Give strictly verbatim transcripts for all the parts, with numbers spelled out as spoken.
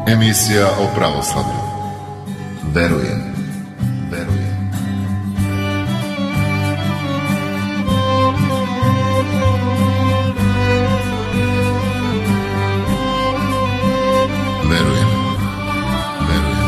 Emisija o pravoslavlju. Verujem, verujem. Verujem, verujem.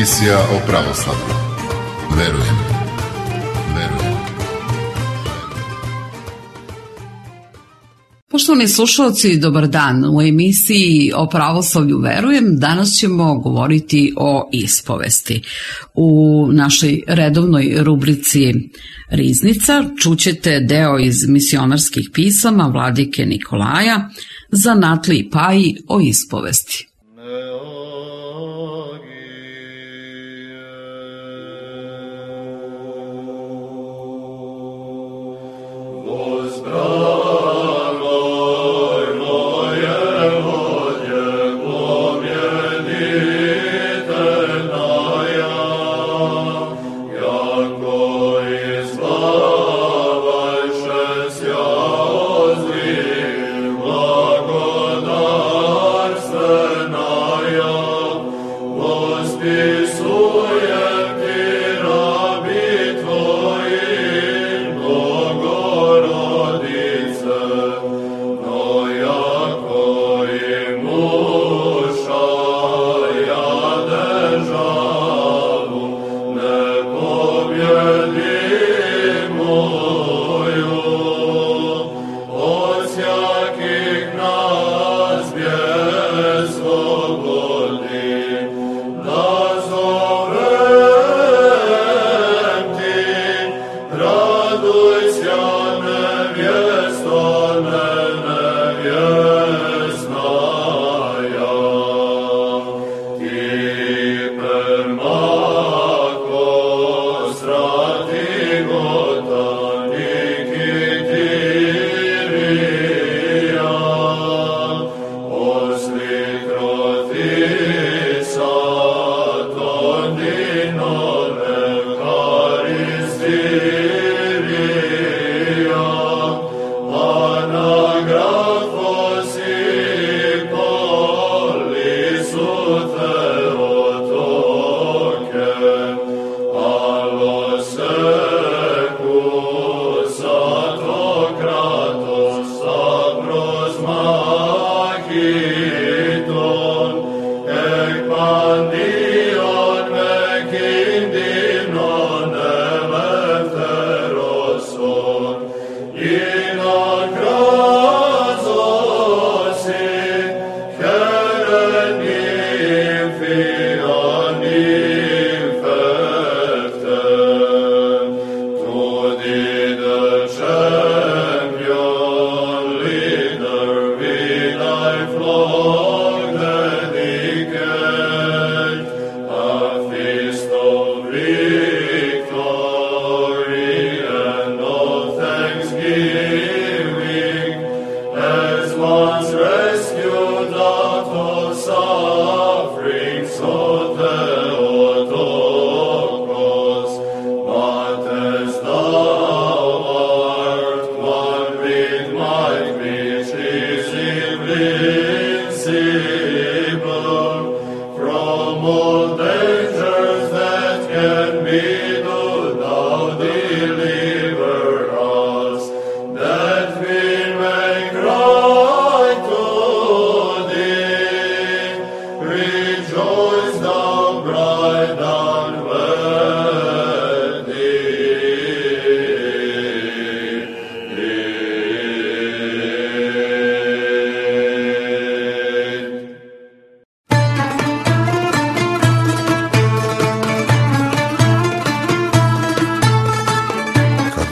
Emisija o pravoslavlju. Verujem, verujem. Poštovani slušalci, dobar dan. U emisiji o pravoslavlju Verujem danas ćemo govoriti o ispovesti. U našoj redovnoj rubrici Riznica čućete deo iz misionarskih pisama vladike Nikolaja, Zanatliji i Paji o ispovesti.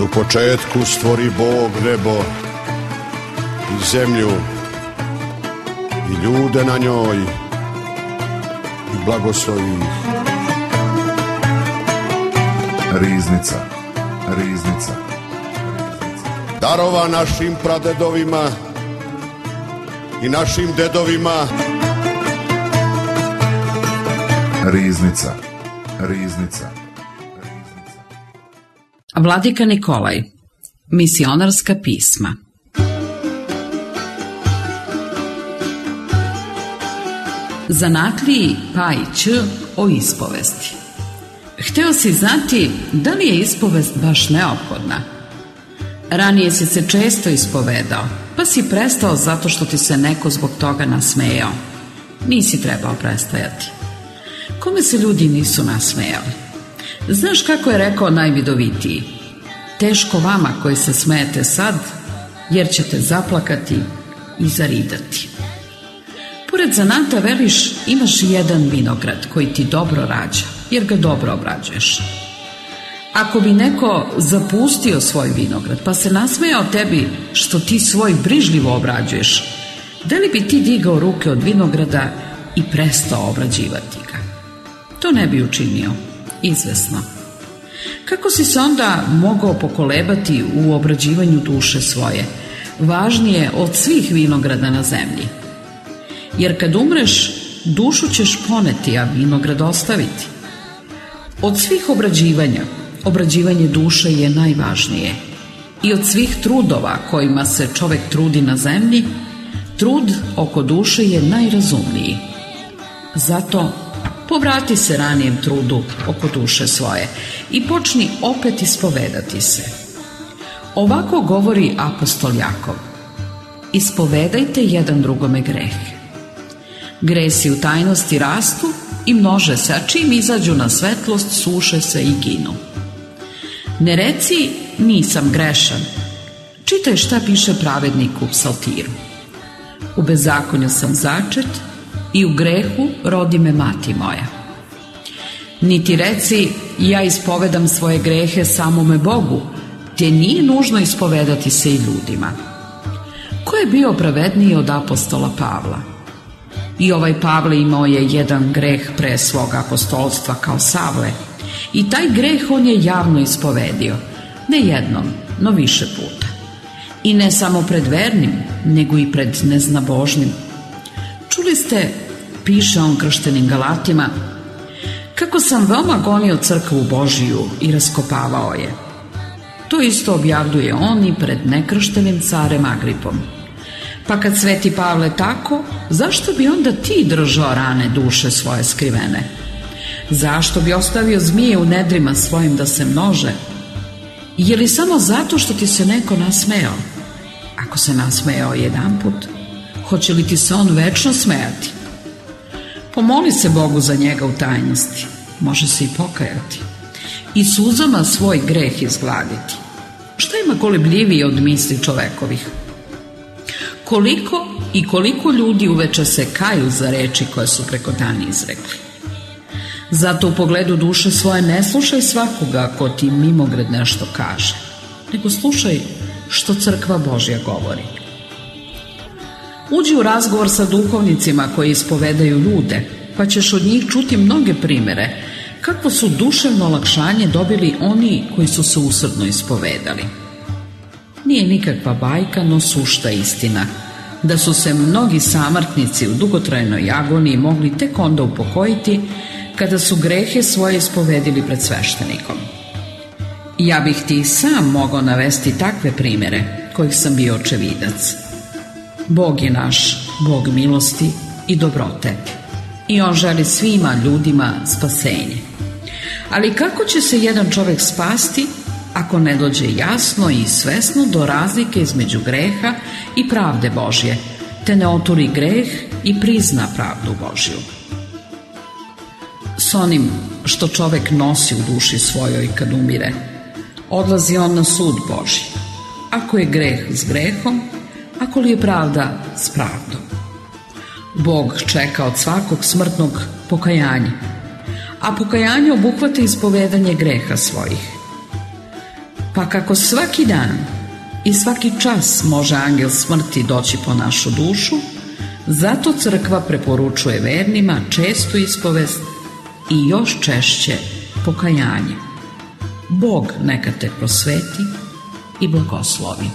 U početku stvori Bog nebo i zemlju i ljude na njoj i blagoslovi ih. Riznica, riznica. Darova našim pradedovima i našim dedovima. Riznica, riznica. Vladika Nikolaj, misionarska pisma. Zanatliji Pajić o ispovesti. Hteo si znati da li je ispovest baš neophodna. Ranije si se često ispovedao, pa si prestao zato što ti se neko zbog toga nasmejao. Nisi trebao prestajati. Kome se ljudi nisu nasmejali? Znaš kako je rekao najvidovitiji? Teško vama koji se smejete sad, jer ćete zaplakati i zaridati. Pored zanata, veliš, imaš i jedan vinograd koji ti dobro rađa, jer ga dobro obrađuješ. Ako bi neko zapustio svoj vinograd pa se nasmejao tebi što ti svoj brižljivo obrađuješ, da li bi ti digao ruke od vinograda i prestao obrađivati ga? To ne bi učinio, izvesno. Kako si se onda mogao pokolebati u obrađivanju duše svoje, važnije od svih vinograda na zemlji? Jer kad umreš, dušu ćeš poneti, a vinograd ostaviti. Od svih obrađivanja, obrađivanje duše je najvažnije. I od svih trudova kojima se čovek trudi na zemlji, trud oko duše je najrazumniji. Zato povrati se ranijem trudu oko duše svoje i počni opet ispovedati se. Ovako govori apostol Jakov: ispovedajte jedan drugome greh. Gresi u tajnosti rastu i množe se, a čim izađu na svetlost suše se i ginu. Ne reci nisam grešan. Čitaj šta piše pravednik u psaltiru. U bezakonju sam začet i u grehu rodi me mati moja. Niti reci ja ispovedam svoje grehe samome Bogu, te nije nužno ispovedati se i ljudima. Ko je bio pravedniji od apostola Pavla? I ovaj Pavle imao je jedan greh pre svog apostolstva kao Savle, i taj greh on je javno ispovedio, ne jednom, no više puta. I ne samo pred vernim, nego i pred neznabožnim. Čuli ste, piše on krštenim Galatima, kako sam veoma gonio crkvu Božiju i raskopavao je. To isto objavljuje on i pred nekrštenim carem Agripom. Pa kad sveti Pavle tako, zašto bi onda ti držao rane duše svoje skrivene? Zašto bi ostavio zmije u nedrima svojim da se množe? Je li samo zato što ti se neko nasmejao? Ako se nasmejao jedanput, hoće li ti se on večno smejati? Pomoli se Bogu za njega u tajnosti, može se i pokajati i suzama svoj greh izgladiti. Šta ima kolebljivije od misli čovekovih? Koliko i koliko ljudi uveče se kaju za reči koje su preko dana izrekli. Zato u pogledu duše svoje ne slušaj svakoga ko ti mimogred nešto kaže, nego slušaj što crkva Božja govori. Uđi u razgovor sa duhovnicima koji ispovedaju ljude, pa ćeš od njih čuti mnoge primere kako su duševno olakšanje dobili oni koji su se usrdno ispovedali. Nije nikakva bajka, no sušta istina, da su se mnogi samrtnici u dugotrajnoj agoniji mogli tek onda upokojiti kada su grehe svoje ispovedili pred sveštenikom. Ja bih ti sam mogao navesti takve primere kojih sam bio očevidac. Bog je naš, Bog milosti i dobrote, i on želi svima ljudima spasenje. Ali kako će se jedan čovjek spasti ako ne dođe jasno i svesno do razlike između greha i pravde Božje, te ne oturi greh i prizna pravdu Božju? S onim što čovjek nosi u duši svojoj kad umire, odlazi on na sud Božji. Ako je greh s grehom, ako li je pravda s pravdom. Bog čeka od svakog smrtnog pokajanja, a pokajanje obuhvata ispovedanje greha svojih. Pa kako svaki dan i svaki čas može angel smrti doći po našu dušu, zato crkva preporučuje vernima čestu ispovest i još češće pokajanje. Bog neka te prosveti i blagoslovi.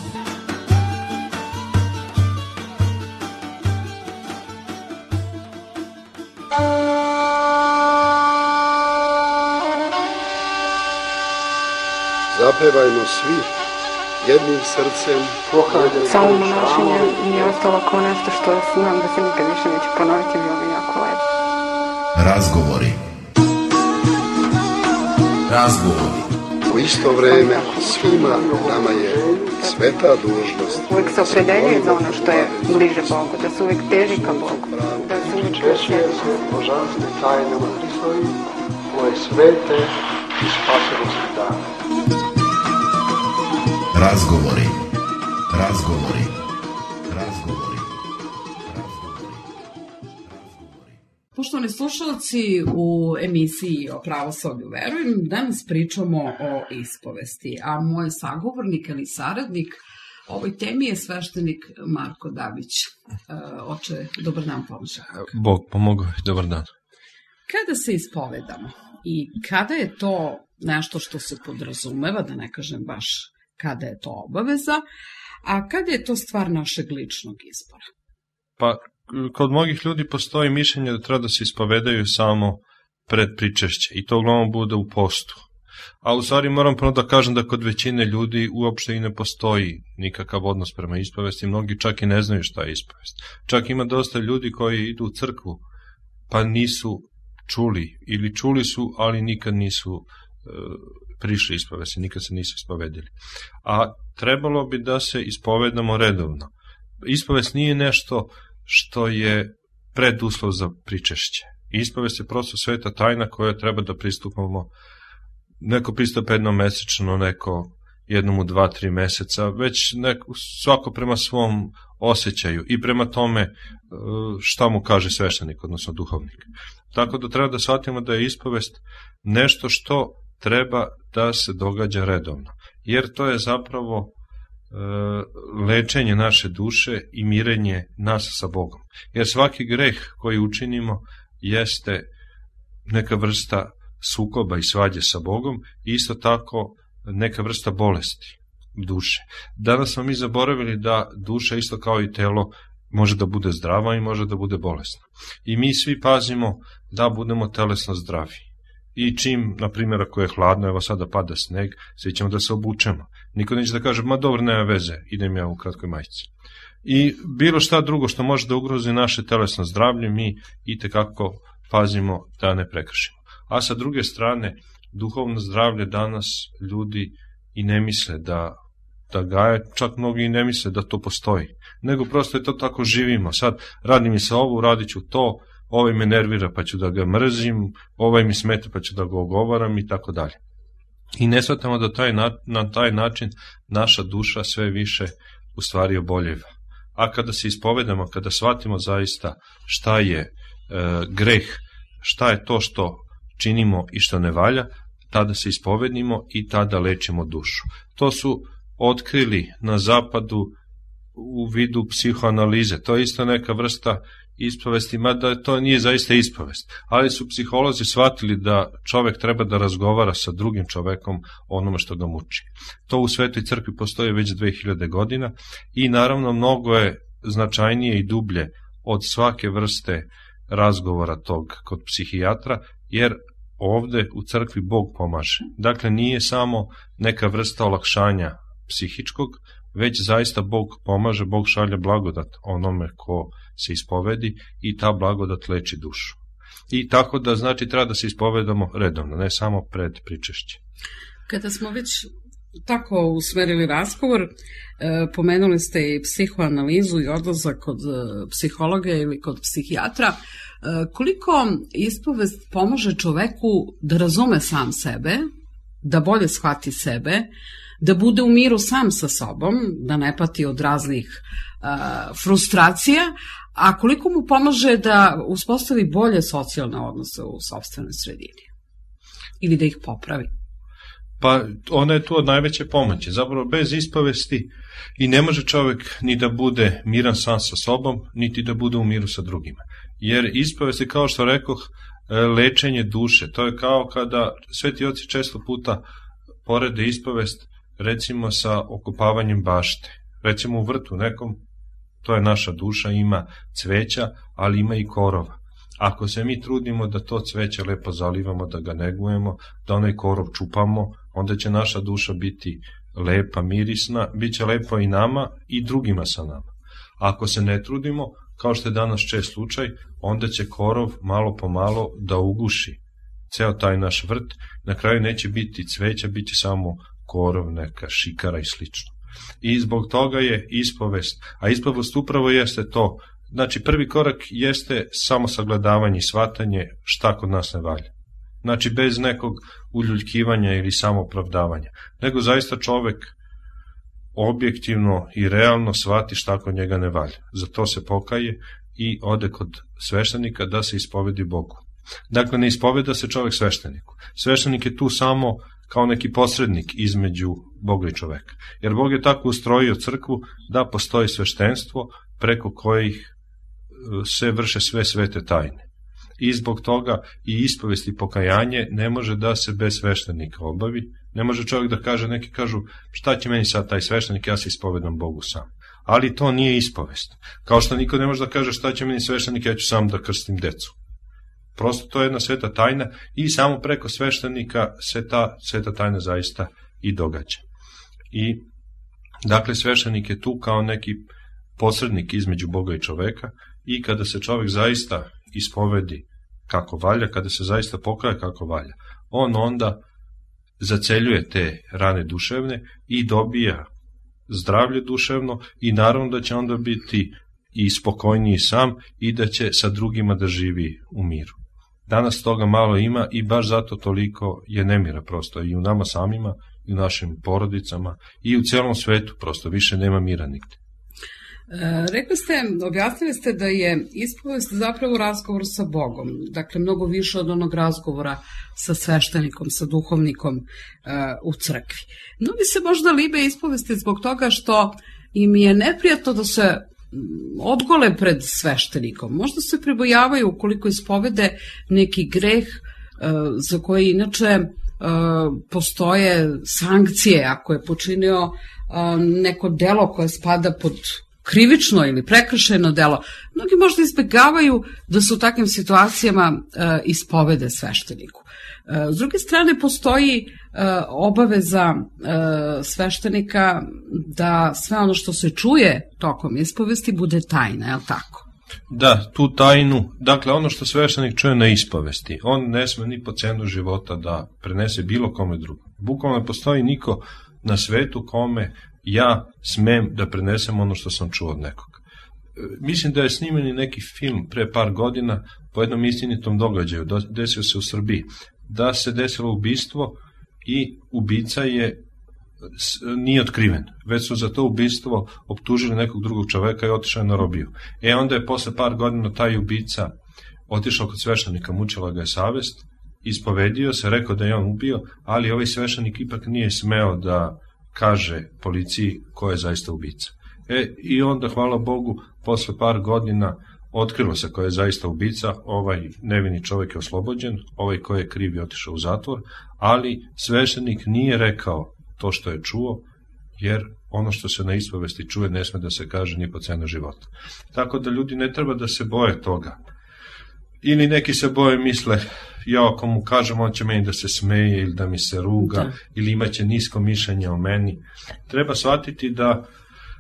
Zapevajmo svi jednim srcem. Samo monašenje mi je ostalo kao nešto što znam da se nikad više neće ponoviti, bilo mi jako lepo. Razgovori. Razgovori. U isto vreme svima nama je sveta dužnost. Uvijek se opredeljuje za ono što je bliže Bogu, da se uvijek teži ka Bogu, da se uvijek Češljaju se božanstve tajnama Hristovi, koje svete i spasonosne dane. Razgovori. Razgovori. Razgovori. Razgovori. Poštovani slušalci, u emisiji o pravoslavlju verujem, danas pričamo o ispovesti, a moj sagovornik ili saradnik ovoj temi je sveštenik Marko Dabić. Oče, dobar dan, pomože. Bog pomogao, dobar dan. Kada se ispovedamo i kada je to nešto što se podrazumeva, da ne kažem baš kada je to obaveza, a kada je to stvar našeg ličnog izbora? Pa, kod mnogih ljudi postoji mišljenje da treba da se ispovedaju samo pred pričešće i to uglavnom bude u postu. A u stvari moram prvo da kažem da kod većine ljudi uopšte i ne postoji nikakav odnos prema ispovesti, mnogi čak i ne znaju šta je ispovest. Čak ima dosta ljudi koji idu u crkvu pa nisu čuli ili čuli su, ali nikad nisu e, prišli ispovesti, nikad se nisu ispovedili. A trebalo bi da se ispovedamo redovno. Ispovest nije nešto što je preduslov za pričešće. Ispovest je prosto sveta tajna koja treba da pristupamo. Neko pristupa jednom mesečno, neko jednom u dva, tri meseca, već neko, svako prema svom osjećaju i prema tome šta mu kaže sveštenik, odnosno duhovnik. Tako da treba da shvatimo da je ispovest nešto što treba da se događa redovno, jer to je zapravo e, lečenje naše duše i mirenje nas sa Bogom. Jer svaki greh koji učinimo jeste neka vrsta sukoba i svađe sa Bogom i isto tako neka vrsta bolesti duše. Danas smo mi zaboravili da duša isto kao i telo može da bude zdrava i može da bude bolesna. I mi svi pazimo da budemo telesno zdravi. I čim, na primjer, ako je hladno, evo sada pada sneg, svi ćemo da se obučemo. Niko neće da kaže, ma dobro, nema veze, idem ja u kratkoj majici. I bilo šta drugo što može da ugrozi naše telesno zdravlje, mi itekako pazimo da ne prekršimo. A sa druge strane, duhovno zdravlje danas ljudi i ne misle da, da gaje, čak mnogi i ne misle da to postoji, nego prosto je to tako živimo. Sad, radi mi se ovo, radit ću to, ovaj me nervira pa ću da ga mrzim, ovaj mi smeta pa ću da ga ogovaram i tako dalje. I ne shvatamo da taj, na, na taj način naša duša sve više u stvari oboljeva. A kada se ispovedamo, kada shvatimo zaista šta je e, greh, šta je to što činimo i što ne valja, tada se ispovednimo i tada lečimo dušu. To su otkrili na zapadu u vidu psihoanalize. To je isto neka vrsta ispovesti, mada to nije zaista ispovest. Ali su psiholozi shvatili da čovek treba da razgovara sa drugim čovekom o onome što ga muči. To u Svetoj crkvi postoji već dve hiljade godina i naravno mnogo je značajnije i dublje od svake vrste razgovora tog kod psihijatra, jer ovde u crkvi Bog pomaže. Dakle, nije samo neka vrsta olakšanja psihičkog, već zaista Bog pomaže, Bog šalje blagodat onome ko se ispovedi i ta blagodat leči dušu. I tako da, znači, treba da se ispovedamo redovno, ne samo pred pričešće. Kada smo već tako usmerili razgovor, pomenuli ste i psihoanalizu i odlazak kod psihologa ili kod psihijatra. Koliko ispovest pomaže čoveku da razume sam sebe, da bolje shvati sebe, da bude u miru sam sa sobom, da ne pati od raznih uh, frustracija, a koliko mu pomaže da uspostavi bolje socijalne odnose u sopstvenoj sredini ili da ih popravi? Pa ona je tu od najveće pomoći. Zapravo bez ispovesti i ne može čovjek ni da bude miran sam sa sobom, niti da bude u miru sa drugima. Jer ispovest je, kao što rekoh, lečenje duše. To je kao kada sveti oci često puta porede ispovest recimo sa okopavanjem bašte. Recimo u vrtu nekom, to je naša duša, ima cveća, ali ima i korova. Ako se mi trudimo da to cveće lepo zalivamo, da ga negujemo, da onaj korov čupamo, onda će naša duša biti lepa, mirisna, bit će lepo i nama i drugima sa nama. Ako se ne trudimo, kao što je danas čest slučaj, onda će korov malo po malo da uguši ceo taj naš vrt, na kraju neće biti cveća, bit će samo korov, neka šikara i slično. I zbog toga je ispovest, a ispovest upravo jeste to, znači prvi korak jeste samo sagledavanje i shvatanje šta kod nas ne valja. Znači bez nekog uljuljkivanja ili samoopravdavanja, nego zaista čovek objektivno i realno shvati šta kod njega ne valja. Za to se pokaje i ode kod sveštenika da se ispovedi Bogu. Dakle, ne ispoveda se čovek svešteniku. Sveštenik je tu samo kao neki posrednik između Boga i čoveka. Jer Bog je tako ustrojio crkvu da postoji sveštenstvo preko kojih se vrše sve svete tajne. I zbog toga i ispovest i pokajanje ne može da se bez sveštenika obavi. Ne može čovjek da kaže, neki kažu šta će meni sad taj sveštenik, ja se ispovedam Bogu sam. Ali to nije ispovest. Kao što niko ne može da kaže šta će meni sveštenik, ja ću sam da krstim decu. Prosto to je jedna sveta tajna i samo preko sveštenika se ta sveta tajna zaista i događa. I dakle sveštenik je tu kao neki posrednik između Boga i čoveka i kada se čovek zaista ispovedi kako valja, kada se zaista pokaje kako valja, on onda zaceljuje te rane duševne i dobija zdravlje duševno i naravno da će onda biti i spokojniji sam i da će sa drugima da živi u miru. Danas toga malo ima i baš zato toliko je nemira prosto i u nama samima, i u našim porodicama, i u celom svetu prosto više nema mira nigde. E, rekli ste, objasnili ste da je ispovest zapravo razgovor sa Bogom, dakle mnogo više od onog razgovora sa sveštenikom, sa duhovnikom e, u crkvi. Mnogi se možda libe ispovesti zbog toga što im je neprijatno da se odgole pred sveštenikom. Možda se pribojavaju ukoliko ispovede neki greh e, za koji inače e, postoje sankcije ako je počinio e, neko delo koje spada pod krivično ili prekršajno delo. Mnogi možda izbegavaju da se u takvim situacijama e, ispovede svešteniku. E, s druge strane, postoji e, obaveza e, sveštenika da sve ono što se čuje tokom ispovesti bude tajna, je li tako? Da, tu tajnu, dakle ono što sveštenik čuje na ispovesti, on ne sme ni po cenu života da prenese bilo kome drugom. Bukvalno ne postoji niko na svetu kome ja smem da prenesem ono što sam čuo od nekog. Mislim da je snimen i neki film pre par godina po jednom istinitom događaju, desio se u Srbiji, da se desilo ubistvo i ubica je nije otkriven, već su za to ubistvo optužili nekog drugog čoveka i otišao je na robiju. E onda je posle par godina taj ubica otišao kod sveštenika, mučila ga je savest, ispovedio se, rekao da je on ubio, ali ovaj sveštenik ipak nije smeo da kaže policiji ko je zaista ubica. E, i onda, hvala Bogu, posle par godina otkrilo se ko je zaista ubica, ovaj nevini čovjek je oslobođen, ovaj ko je kriv je otišao u zatvor, ali sveštenik nije rekao to što je čuo, jer ono što se na ispovesti čuje ne sme da se kaže ni po cenu života. Tako da ljudi ne treba da se boje toga. Ili neki se boje, misle, ja ako mu kažem, on će meni da se smeje ili da mi se ruga, da. Ili imaće nisko mišljenje o meni. Treba shvatiti da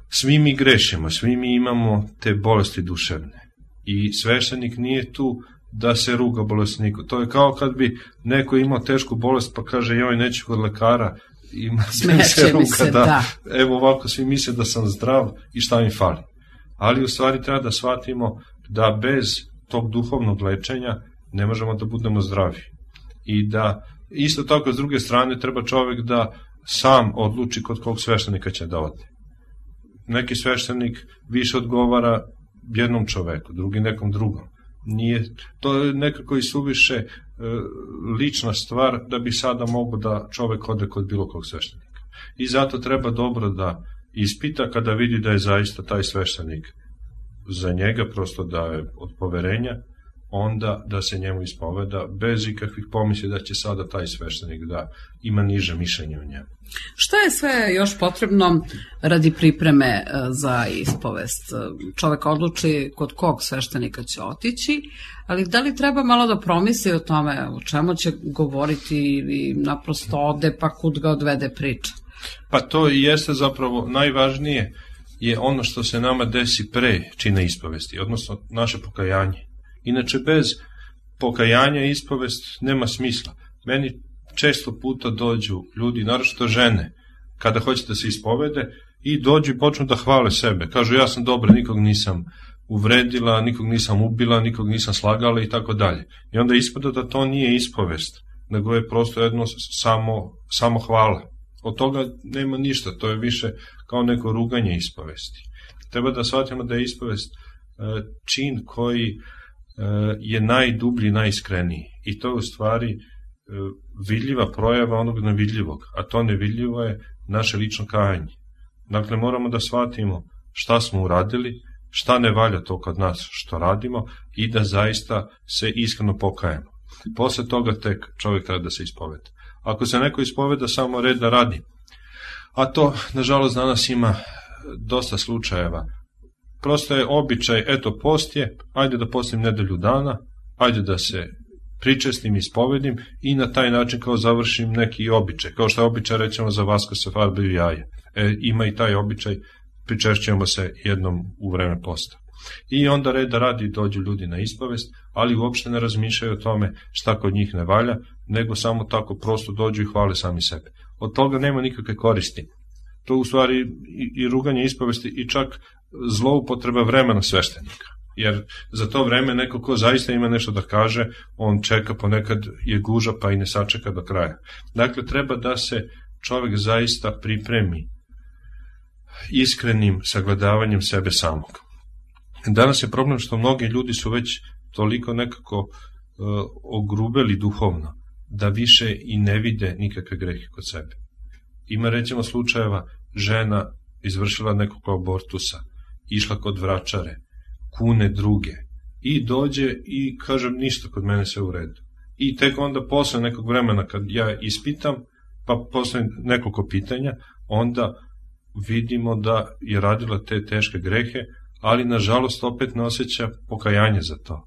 svi mi grešimo, svi mi imamo te bolesti duševne. I sveštenik nije tu da se ruga bolesniku. To je kao kad bi neko imao tešku bolest pa kaže, joj, neću kod lekara, ima se ruga, se, da. da. Evo ovako svi misle da sam zdrav i šta mi fali. Ali u stvari treba da shvatimo da bez tog duhovnog lečenja ne možemo da budemo zdravi. I da isto tako s druge strane treba čovjek da sam odluči kod kog sveštenika će da ode. Neki sveštenik više odgovara jednom čoveku, drugi nekom drugom. Nije, to je nekako i suviše e, lična stvar da bi sada mogu da čovek ode kod bilo kog sveštenika. I zato treba dobro da ispita kada vidi da je zaista taj sveštenik za njega, prosto da je od poverenja, onda da se njemu ispoveda bez ikakvih pomisli da će sada taj sveštenik da ima niže mišljenje o njemu. Šta je sve još potrebno radi pripreme za ispovest? Čovek odluči kod kog sveštenika će otići, ali da li treba malo da promisli o tome o čemu će govoriti i naprosto ode pa kud ga odvede priča? Pa to i jeste zapravo najvažnije je ono što se nama desi pre čina ispovesti, odnosno naše pokajanje. Inače, bez pokajanja ispovest nema smisla. Meni često puta dođu ljudi, naročito žene, kada hoće da se ispovede i dođu i počnu da hvale sebe. Kažu, ja sam dobra, nikog nisam uvredila, nikog nisam ubila, nikog nisam slagala i tako dalje. I onda ispada da to nije ispovest, nego je prosto jedno samo, samo hvala. Od toga nema ništa, to je više kao neko ruganje ispovesti. Treba da shvatimo da je ispovest čin koji je najdublji, najiskreniji. I to je u stvari vidljiva projava onog nevidljivog, a to nevidljivo je naše lično kajanje. Dakle, moramo da shvatimo šta smo uradili, šta ne valja to kod nas što radimo i da zaista se iskreno pokajemo. Posle toga tek čovjek treba da se ispoveda. Ako se neko ispoveda samo red da radi, a to, nažalost, danas ima dosta slučajeva, prosto je običaj, eto, post je, ajde da postim nedelju dana, ajde da se pričestim, ispovedim i na taj način kao završim neki običaj, kao što je običaj, rećemo, za vasko se farbaju jaje. E, ima i taj običaj, pričešćujemo se jednom u vreme posta. I onda red da radi dođu ljudi na ispovest, ali uopšte ne razmišljaju o tome šta kod njih ne valja, nego samo tako prosto dođu i hvale sami sebe. Od toga nema nikakve koristi. To u stvari i, i ruganje ispovesti i čak zloupotreba vremena sveštenika. Jer za to vreme neko ko zaista ima nešto da kaže, on čeka, ponekad je guža pa i ne sačeka do kraja. Dakle, treba da se čovjek zaista pripremi iskrenim sagledavanjem sebe samog. Danas je problem što mnogi ljudi su već toliko nekako uh, ogrubeli duhovno, da više i ne vide nikakve grehe kod sebe. Ima, recimo, slučajeva žena izvršila nekog abortusa, išla kod vračare, kune druge i dođe i kaže ništa, kod mene sve u redu. I tek onda posle nekog vremena kad ja ispitam, pa posle nekoliko pitanja, onda vidimo da je radila te teške grehe, ali nažalost opet ne osjeća pokajanje za to.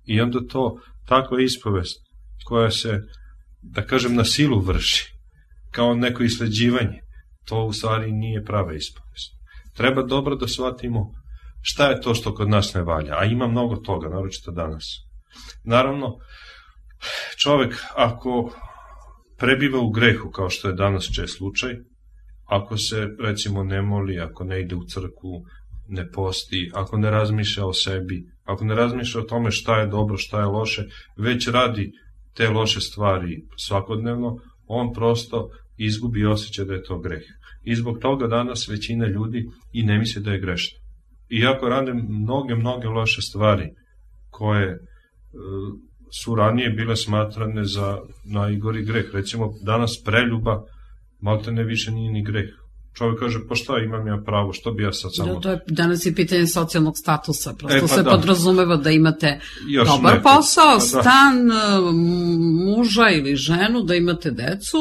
I onda to, takva ispovest koja se, da kažem, na silu vrši, kao neko isleđivanje, to u stvari nije prava ispovest. Treba dobro da shvatimo šta je to što kod nas ne valja, a ima mnogo toga, naročito danas. Naravno, čovek ako prebiva u grehu, kao što je danas čest slučaj, ako se, recimo, ne moli, ako ne ide u crkvu, ne posti, ako ne razmišlja o sebi, ako ne razmišlja o tome šta je dobro, šta je loše, već radi te loše stvari svakodnevno, on prosto izgubi osjećaj da je to greh. I zbog toga danas većina ljudi i ne misli da je grešna. Iako rade mnoge, mnoge loše stvari koje e, su ranije bile smatrane za najgori greh. Recimo, danas preljuba malte ne više nije ni greh. Čovjek kaže, pa šta imam ja pravo, što bi ja sad samo... Da, to je danas je pitanje socijalnog statusa, prosto e, pa se da. podrazumeva da imate još dobar neke. posao, pa da. stan, muža ili ženu, da imate decu,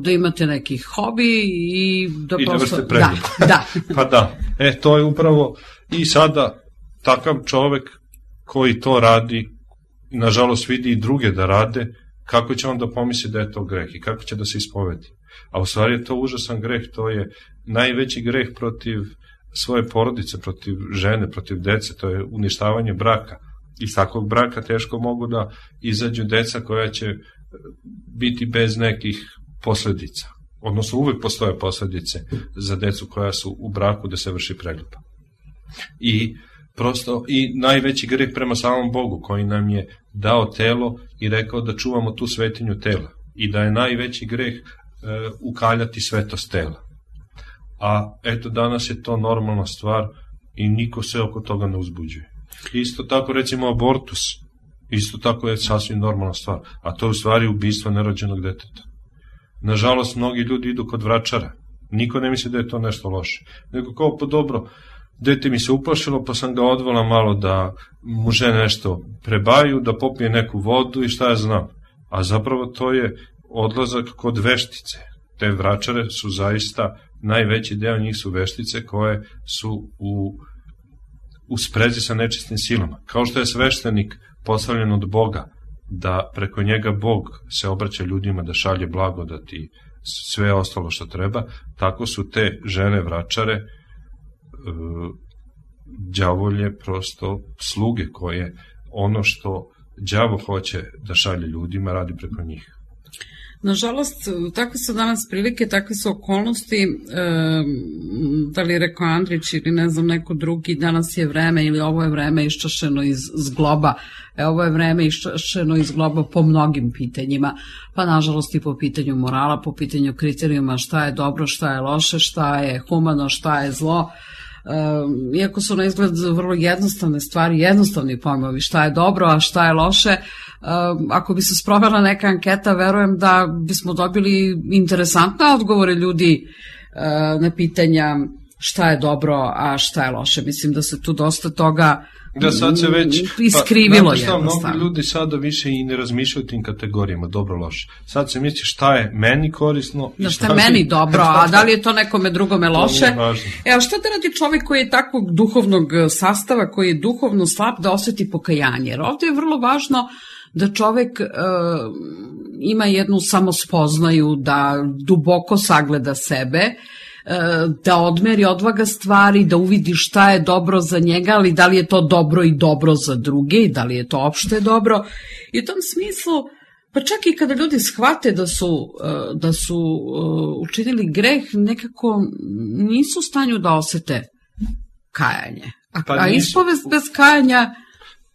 da imate neki hobi i da I prosto... da vrste preljuba. Da, da. Pa da, e, to je upravo i sada takav čovjek koji to radi, nažalost vidi i druge da rade, kako će on da pomisli da je to greh i kako će da se ispovedi. A u stvari je to užasan greh, to je najveći greh protiv svoje porodice, protiv žene, protiv dece, to je uništavanje braka. Iz takvog braka teško mogu da izađu deca koja će biti bez nekih posledica. Odnosno uvek postoje posledice za decu koja su u braku da se vrši preljuba. I prosto i najveći greh prema samom Bogu koji nam je dao telo i rekao da čuvamo tu svetinju tela i da je najveći greh e, ukaljati svetost tela. A eto danas je to normalna stvar i niko se oko toga ne uzbuđuje. Isto tako recimo abortus, isto tako je sasvim normalna stvar, a to je u stvari ubistvo nerođenog deteta. Nažalost mnogi ljudi idu kod vračara, niko ne misli da je to nešto loše, nego kao pa dobro, dete mi se uplašilo, pa sam ga odvala malo da mu žene nešto prebaju, da popije neku vodu i šta ja znam. A zapravo to je odlazak kod veštice. Te vračare su zaista, najveći deo njih su veštice koje su u, u sprezi sa nečistim silama. Kao što je sveštenik postavljen od Boga, da preko njega Bog se obraća ljudima, da šalje blagodat i sve ostalo što treba, tako su te žene vračare e, đavolje prosto sluge koje ono što đavo hoće da šalje ljudima radi preko njih. Nažalost, takve su danas prilike, takve su okolnosti, e, da li je rekao Andrić ili ne znam neko drugi, danas je vreme ili ovo je vreme iščašeno iz zgloba, e, ovo je vreme iščašeno iz zgloba po mnogim pitanjima, pa nažalost i po pitanju morala, po pitanju kriterijuma šta je dobro, šta je loše, šta je humano, šta je zlo. Um, iako su na izgled vrlo jednostavne stvari, jednostavni pojmovi šta je dobro, a šta je loše, um, ako bi se sprovela neka anketa, verujem da bismo dobili interesantne odgovore ljudi uh, na pitanja šta je dobro, a šta je loše. Mislim da se tu dosta toga da sad se već iskrivilo pa, jednostavno. Mnogi ljudi sada više i ne razmišljaju tim kategorijama, dobro, loše. Sad se misli šta je meni korisno i da, šta, šta je meni dobro, a da li je to nekome drugome loše. Evo, šta da radi čovjek koji je takvog duhovnog sastava, koji je duhovno slab, da osjeti pokajanje? Jer ovdje je vrlo važno da čovjek e, ima jednu samospoznaju, da duboko sagleda sebe, da odmeri, odvaga stvari, da uvidi šta je dobro za njega, ali da li je to dobro i dobro za druge i da li je to opšte dobro. I u tom smislu, pa čak i kada ljudi shvate da su, da su učinili greh, nekako nisu u stanju da osete kajanje. A, pa a ispovest bez kajanja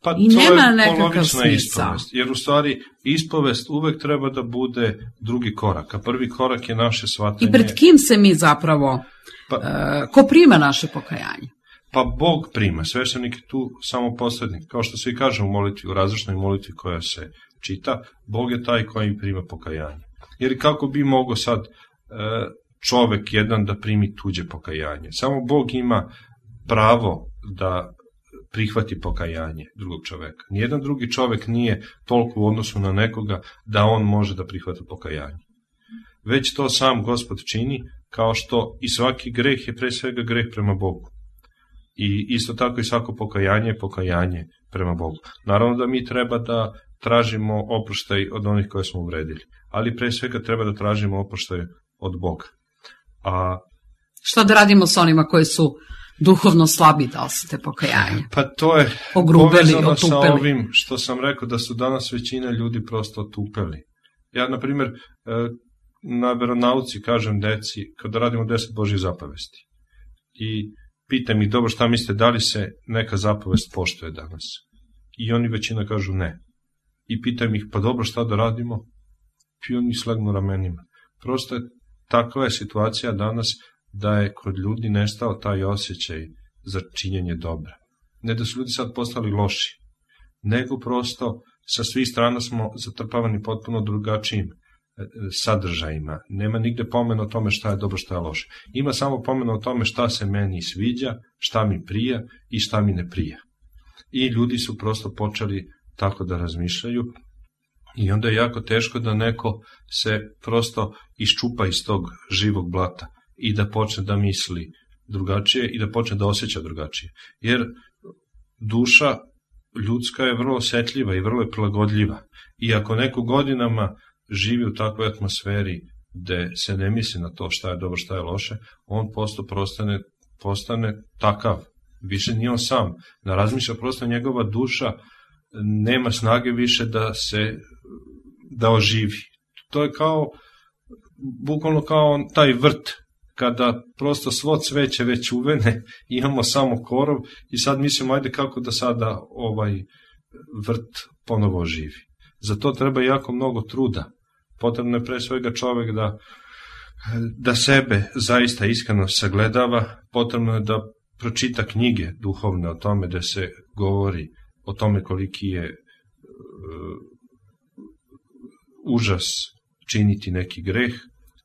pa i nema nekakav smisao. Jer u stvari ispovest uvek treba da bude drugi korak, a prvi korak je naše shvatanje. I pred kim se mi zapravo, pa, uh, ko prima naše pokajanje? Pa Bog prima, sveštenik je tu samo posrednik. Kao što se i kaže u molitvi, u različnoj molitvi koja se čita, Bog je taj koji prima pokajanje. Jer kako bi mogao sad uh, čovek jedan da primi tuđe pokajanje? Samo Bog ima pravo da prihvati pokajanje drugog čoveka. Nijedan drugi čovek nije toliko u odnosu na nekoga da on može da prihvati pokajanje. Već to sam Gospod čini, kao što i svaki greh je pre svega greh prema Bogu. I isto tako i svako pokajanje je pokajanje prema Bogu. Naravno da mi treba da tražimo oproštaj od onih koje smo uvredili, ali pre svega treba da tražimo oproštaj od Boga. A šta da radimo s onima koji su duhovno slabi, da osete pokajanje? Pa to je ogrubeli, povezano otupeli sa ovim što sam rekao, da su danas većina ljudi prosto otupeli. Ja, na primjer, na veronauci kažem deci, kada radimo deset Božjih zapovesti i pitam ih, dobro, šta mislite, da li se neka zapovest poštuje danas? I oni većina kažu ne. I pitam ih, pa dobro, šta da radimo? I oni slegnu ramenima. Prosto je, takva je situacija danas, da je kod ljudi nestao taj osjećaj za činjenje dobra. Ne da su ljudi sad postali loši, nego prosto sa svih strana smo zatrpavani potpuno drugačijim sadržajima. Nema nigde pomena o tome šta je dobro, šta je loše. Ima samo pomena o tome šta se meni sviđa, šta mi prija i šta mi ne prija. I ljudi su prosto počeli tako da razmišljaju i onda je jako teško da neko se prosto iščupa iz tog živog blata i da počne da misli drugačije i da počne da osjeća drugačije. Jer duša ljudska je vrlo osjetljiva i vrlo je prilagodljiva. I ako neko godinama živi u takvoj atmosferi gde se ne misli na to šta je dobro, šta je loše, on posto prostane, postane takav. Više nije on sam. Da razmišlja, prosto njegova duša nema snage više da se da oživi. To je kao, bukvalno kao taj vrt, kada prosto svo cveće već uvene, imamo samo korov i sad mislimo, ajde kako da sada ovaj vrt ponovo oživi. Za to treba jako mnogo truda. Potrebno je pre svega čovek da, da sebe zaista iskreno sagledava, potrebno je da pročita knjige duhovne o tome, da se govori o tome koliki je uh, užas činiti neki greh,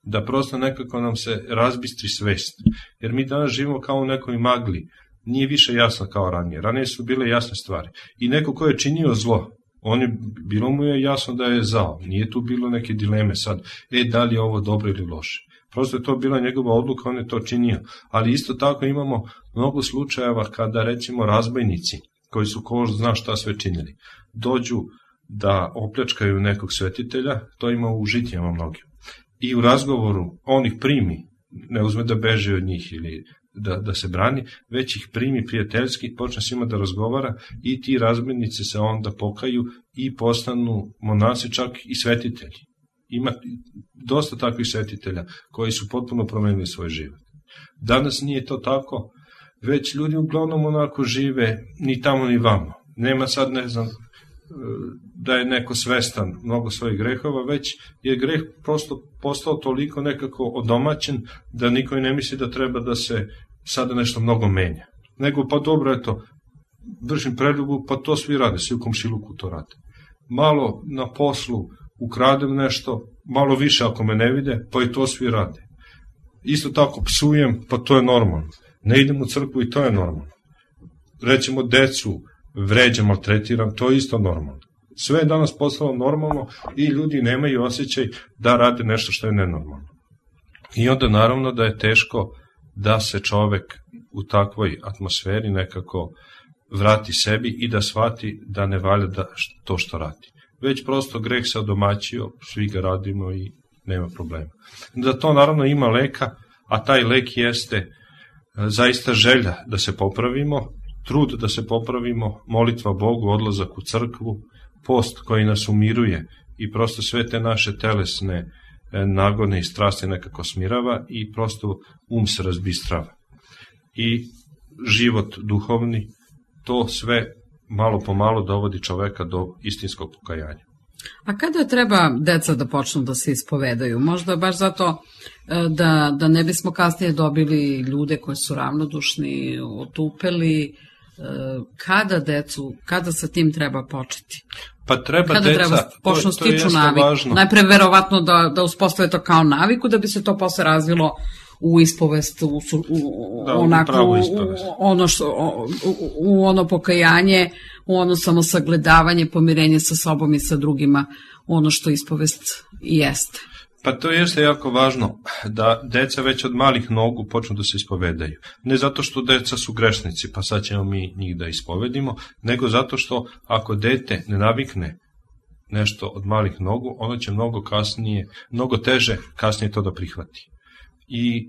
da prosto nekako nam se razbistri svest. Jer mi danas živimo kao u nekoj magli, nije više jasna kao ranije. Ranije su bile jasne stvari. I neko ko je činio zlo, on je, bilo mu je jasno da je zao. Nije tu bilo neke dileme sad, e, da li je ovo dobro ili loše. Prosto je to bila njegova odluka, on je to činio. Ali isto tako imamo mnogo slučajeva kada, recimo, razbojnici, koji su ko zna šta sve činili, dođu da opljačkaju nekog svetitelja, to ima u žitijama mnogim. I u razgovoru on ih primi, ne uzme da beže od njih ili da, da se brani, već ih primi prijateljski, počne s njima da razgovara i ti razbojnici se onda pokaju i postanu monasi, čak i svetitelji. Ima dosta takvih svetitelja koji su potpuno promenili svoj život. Danas nije to tako, već ljudi uglavnom onako žive ni tamo ni vamo. Nema sad, ne znam, da je neko svestan mnogo svojih grehova, već je greh prosto postao toliko nekako odomaćen da niko i ne misli da treba da se sada nešto mnogo menja. Nego, pa dobro, eto, vršim preljubu, pa to svi rade, svi u komšiluku to rade. Malo na poslu ukradem nešto, malo više ako me ne vide, pa i to svi rade. Isto tako psujem, pa to je normalno. Ne idem u crkvu i to je normalno. Recimo, decu vređam, maltretiram, to je isto normalno. Sve je danas postalo normalno i ljudi nemaju osjećaj da rade nešto što je nenormalno. I onda naravno da je teško da se čovek u takvoj atmosferi nekako vrati sebi i da shvati da ne valja da to što radi. Već prosto greh se odomaćio, svi ga radimo i nema problema. Da to naravno ima leka, a taj lek jeste zaista želja da se popravimo, trud da se popravimo, molitva Bogu, odlazak u crkvu, post koji nas umiruje i prosto sve te naše telesne nagone i strasti nekako smirava i prosto um se razbistrava. I život duhovni, to sve malo po malo dovodi čoveka do istinskog pokajanja. A kada treba deca da počnu da se ispovedaju? Možda baš zato da, da ne bismo kasnije dobili ljude koji su ravnodušni, otupeli. Kada decu, kada sa tim treba početi? Pa treba kada deca, treba počnu to, to stiču naviku? Važno. Najpre verovatno da, da uspostave to kao naviku, da bi se to posle razvilo u ispovest, u, u, da, onako, u, u, ono što, u, u ono pokajanje, u ono samosagledavanje, pomirenje sa sobom i sa drugima, ono što ispovest jeste. Pa to jeste jako važno, da deca već od malih nogu počnu da se ispovedaju. Ne zato što deca su grešnici, pa sad ćemo mi njih da ispovedimo, nego zato što ako dete ne navikne nešto od malih nogu, ono će mnogo kasnije, mnogo teže kasnije to da prihvati. I e,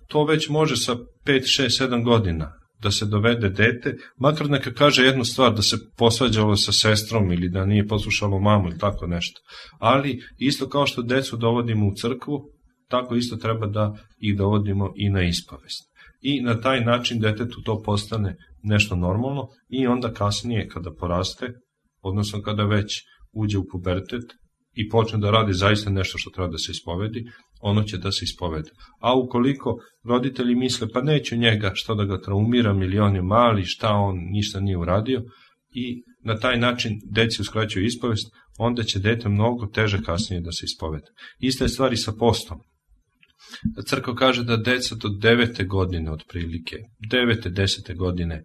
to već može sa pet, šest, sedam godina da se dovede dete, makar neka kaže jednu stvar, da se posvađalo sa sestrom ili da nije poslušalo mamu ili tako nešto. Ali isto kao što decu dovodimo u crkvu, tako isto treba da ih dovodimo i na ispovest. I na taj način detetu to postane nešto normalno i onda kasnije kada poraste, odnosno kada već uđe u pubertet i počne da radi zaista nešto što treba da se ispovedi, ono će da se ispovede. A ukoliko roditelji misle, pa neću njega, što da ga traumiram, ili on je mali, šta on ništa nije uradio, i na taj način deci uskraćuju ispovest, onda će dete mnogo teže kasnije da se ispovede. Ista je stvari sa postom. Crkva kaže da deca do devete godine otprilike, devete, desete godine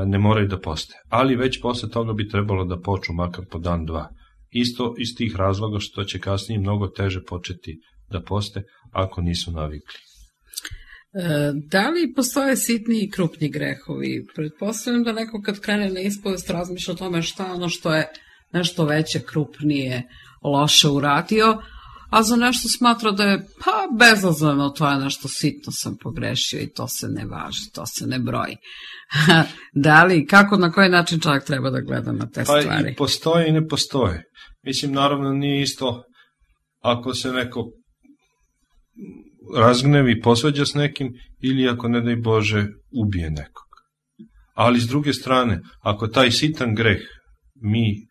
ne moraju da poste. Ali već posle toga bi trebalo da počnu makar po dan, dva. Isto iz tih razloga što će kasnije mnogo teže početi da poste ako nisu navikli. E, da li postoje sitni i krupni grehovi? Pretpostavljam da neko kad krene na ispovest razmišlja o tome šta ono što je nešto veće, krupnije, loše uradio, a za nešto smatra da je pa bezazleno, to je nešto sitno sam pogrešio i to se ne važi, to se ne broji. Da li, kako, na koji način čovjek treba da gleda na te pa stvari? Pa i postoje i ne postoje. Mislim, naravno nije isto ako se neko razgnevi i posvađa s nekim ili ako, ne daj Bože, ubije nekog. Ali s druge strane, ako taj sitan greh mi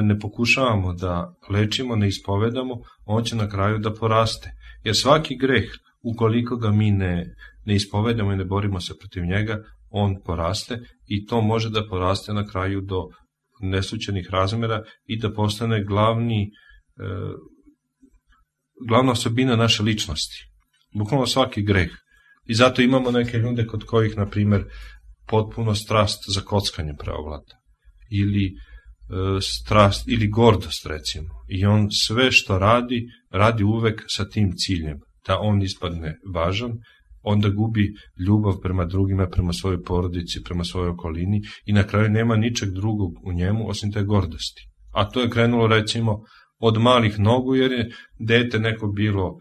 ne pokušavamo da lečimo, ne ispovedamo, on će na kraju da poraste. Jer svaki greh, ukoliko ga mi ne, ne ispovedamo i ne borimo se protiv njega, on poraste i to može da poraste na kraju do neslućenih razmera i da postane glavni, e, glavna osobina naše ličnosti. Bukvalno svaki greh. I zato imamo neke ljude kod kojih, na primjer, potpuno strast za kockanje preovlada. Ili e, strast, ili gordost, recimo. I on sve što radi, radi uvek sa tim ciljem, da on ispadne važan, onda gubi ljubav prema drugima, prema svojoj porodici, prema svojoj okolini i na kraju nema ničeg drugog u njemu osim te gordosti. A to je krenulo, recimo, od malih nogu, jer je dete neko bilo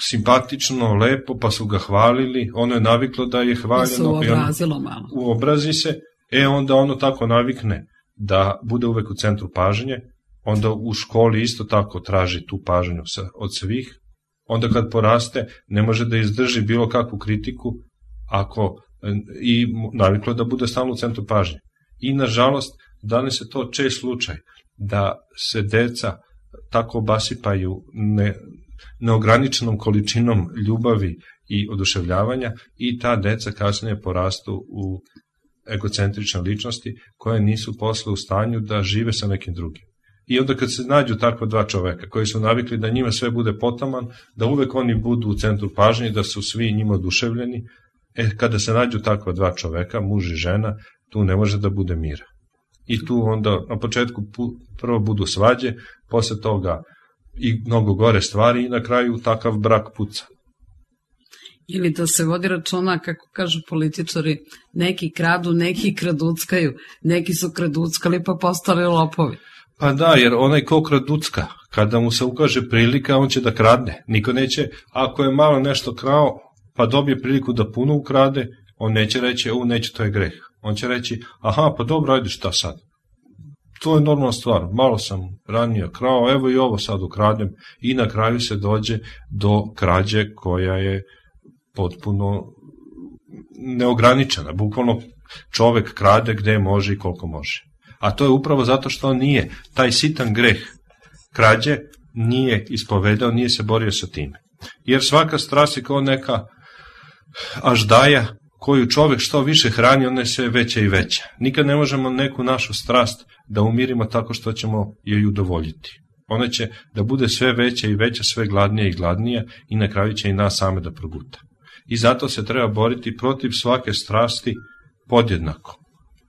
simpatično, lepo, pa su ga hvalili, ono je naviklo da je hvaljeno i ono uobrazi se, e onda ono tako navikne da bude uvek u centru pažnje, onda u školi isto tako traži tu pažnju od svih, onda kad poraste ne može da izdrži bilo kakvu kritiku ako i naviklo da bude stalno u centru pažnje. I nažalost, danas je to čest slučaj da se deca tako obasipaju ne, neograničenom količinom ljubavi i oduševljavanja i ta deca kasnije porastu u egocentrične ličnosti koje nisu posle u stanju da žive sa nekim drugim. I onda kad se nađu takva dva čoveka koji su navikli da njima sve bude potaman, da uvek oni budu u centru pažnje, da su svi njima oduševljeni, e, kada se nađu takva dva čoveka, muž i žena, tu ne može da bude mira. I tu onda na početku prvo budu svađe, posle toga i mnogo gore stvari i na kraju takav brak puca. Ili da se vodi računa, kako kažu političari, neki kradu, neki kraduckaju, neki su kraduckali pa postali lopovi. Pa da, jer onaj ko kraducka, kada mu se ukaže prilika, on će da kradne. Niko neće, ako je malo nešto krao, pa dobije priliku da puno ukrade, on neće reći, u, neće, to je greh. On će reći, aha, pa dobro, ajde, šta sad? To je normalna stvar, malo sam ranije krao, evo i ovo sad ukradem i na kraju se dođe do krađe koja je potpuno neograničena. Bukvalno čovek krade gde može i koliko može. A to je upravo zato što on nije, taj sitan greh krađe nije ispovedao, nije se borio sa time. Jer svaka strast je kao neka aždaja koju čovek što više hrani, ona je sve veća i veća. Nikad ne možemo neku našu strast da umirimo tako što ćemo joj udovoljiti. Ona će da bude sve veća i veća, sve gladnija i gladnija i na kraju će i nas same da proguta. I zato se treba boriti protiv svake strasti podjednako.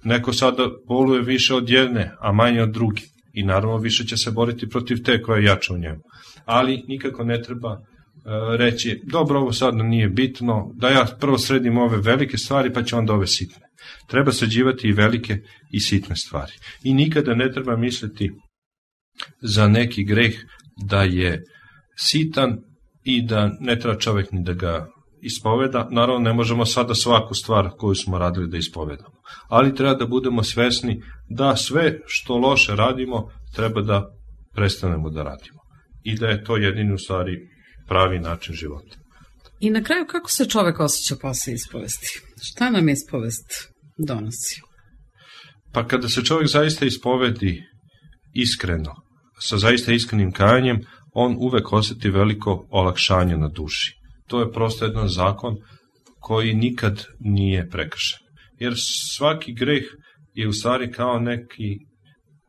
Neko sada boluje više od jedne, a manje od druge. I naravno više će se boriti protiv te koja je jača u njemu. Ali nikako ne treba uh, reći, dobro, ovo sad nije bitno, da ja prvo sredim ove velike stvari pa će onda ove sitne. Treba sređivati i velike i sitne stvari. I nikada ne treba misliti za neki greh da je sitan i da ne treba čovjek ni da ga ispoveda. Naravno ne možemo sada svaku stvar koju smo radili da ispovedamo, ali treba da budemo svesni da sve što loše radimo treba da prestanemo da radimo i da je to jedini u stvari pravi način života. I na kraju kako se čovek osjeća posle ispovesti? Šta nam ispovest donosi? Pa kada se čovjek zaista ispovedi iskreno, sa zaista iskrenim kajanjem, on uvek osjeti veliko olakšanje na duši. To je prosto jedan zakon koji nikad nije prekršen. Jer svaki greh je u stvari kao neki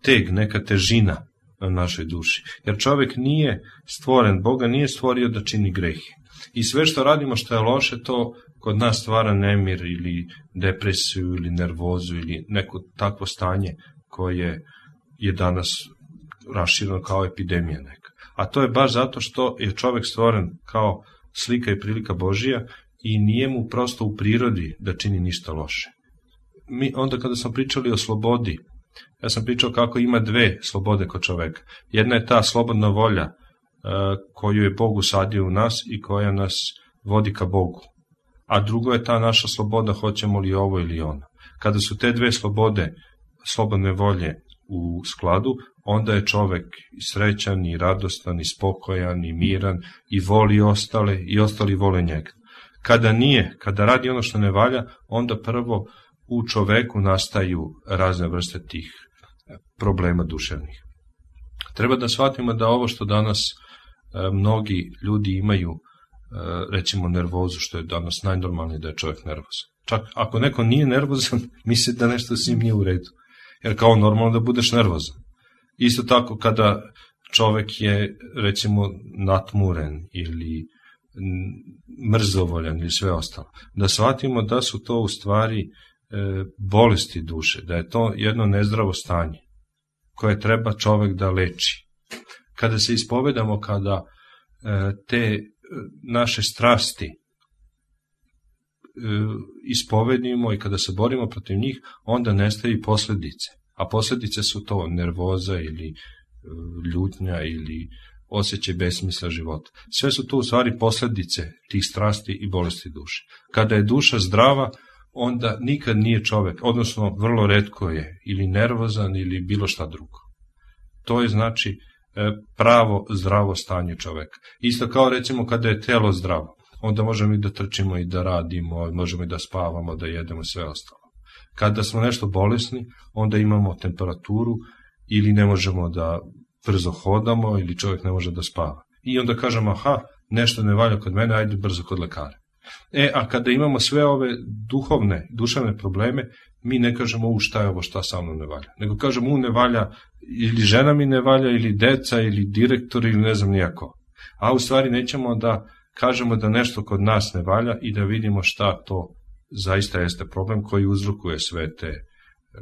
teg, neka težina na našoj duši. Jer čovjek nije stvoren, Boga nije stvorio da čini grehe. I sve što radimo što je loše, to kod nas stvara nemir ili depresiju ili nervozu ili neko takvo stanje koje je danas rašireno kao epidemija neka. A to je baš zato što je čovjek stvoren kao slika i prilika Božija i nije mu prosto u prirodi da čini ništa loše. Mi onda kada smo pričali o slobodi, ja sam pričao kako ima dve slobode kod čoveka. Jedna je ta slobodna volja uh, koju je Bog usadio u nas i koja nas vodi ka Bogu. A drugo je ta naša sloboda, hoćemo li ovo ili ono. Kada su te dve slobode, slobodne volje u skladu, onda je čovek i srećan, i radostan, i spokojan, i miran, i voli ostale, i ostali vole njega. Kada nije, kada radi ono što ne valja, onda prvo u čoveku nastaju razne vrste tih problema duševnih. Treba da shvatimo da ovo što danas e, mnogi ljudi imaju, e, recimo nervozu, što je danas najnormalnije da je čovjek nervozan. Čak ako neko nije nervozan, misli da nešto s njim nije u redu. Jer kao normalno da budeš nervozan. Isto tako kada čovek je recimo natmuren ili mrzovoljan ili sve ostalo. Da shvatimo da su to u stvari bolesti duše, da je to jedno nezdravo stanje koje treba čovek da leči. Kada se ispovedamo, kada te naše strasti ispovedimo i kada se borimo protiv njih, onda nestaju i posledice. A posledice su to nervoza ili ljutnja ili osjećaj besmisla života. Sve su to u stvari posledice tih strasti i bolesti duše. Kada je duša zdrava, onda nikad nije čovek, odnosno vrlo retko je ili nervozan ili bilo šta drugo. To je znači pravo zdravo stanje čoveka. Isto kao recimo kada je telo zdravo, onda možemo i da trčimo i da radimo, možemo i da spavamo, da jedemo, sve ostalo. Kada smo nešto bolesni, onda imamo temperaturu ili ne možemo da brzo hodamo ili čovjek ne može da spava. I onda kažemo, aha, nešto ne valja kod mene, ajde brzo kod lekara. E, a kada imamo sve ove duhovne, duševne probleme, mi ne kažemo, u šta je ovo, šta sa mnom ne valja. Nego kažemo, u ne valja, ili žena mi ne valja, ili deca, ili direktor, ili ne znam nijako. A u stvari nećemo da kažemo da nešto kod nas ne valja i da vidimo šta to zaista jeste problem koji uzrokuje sve te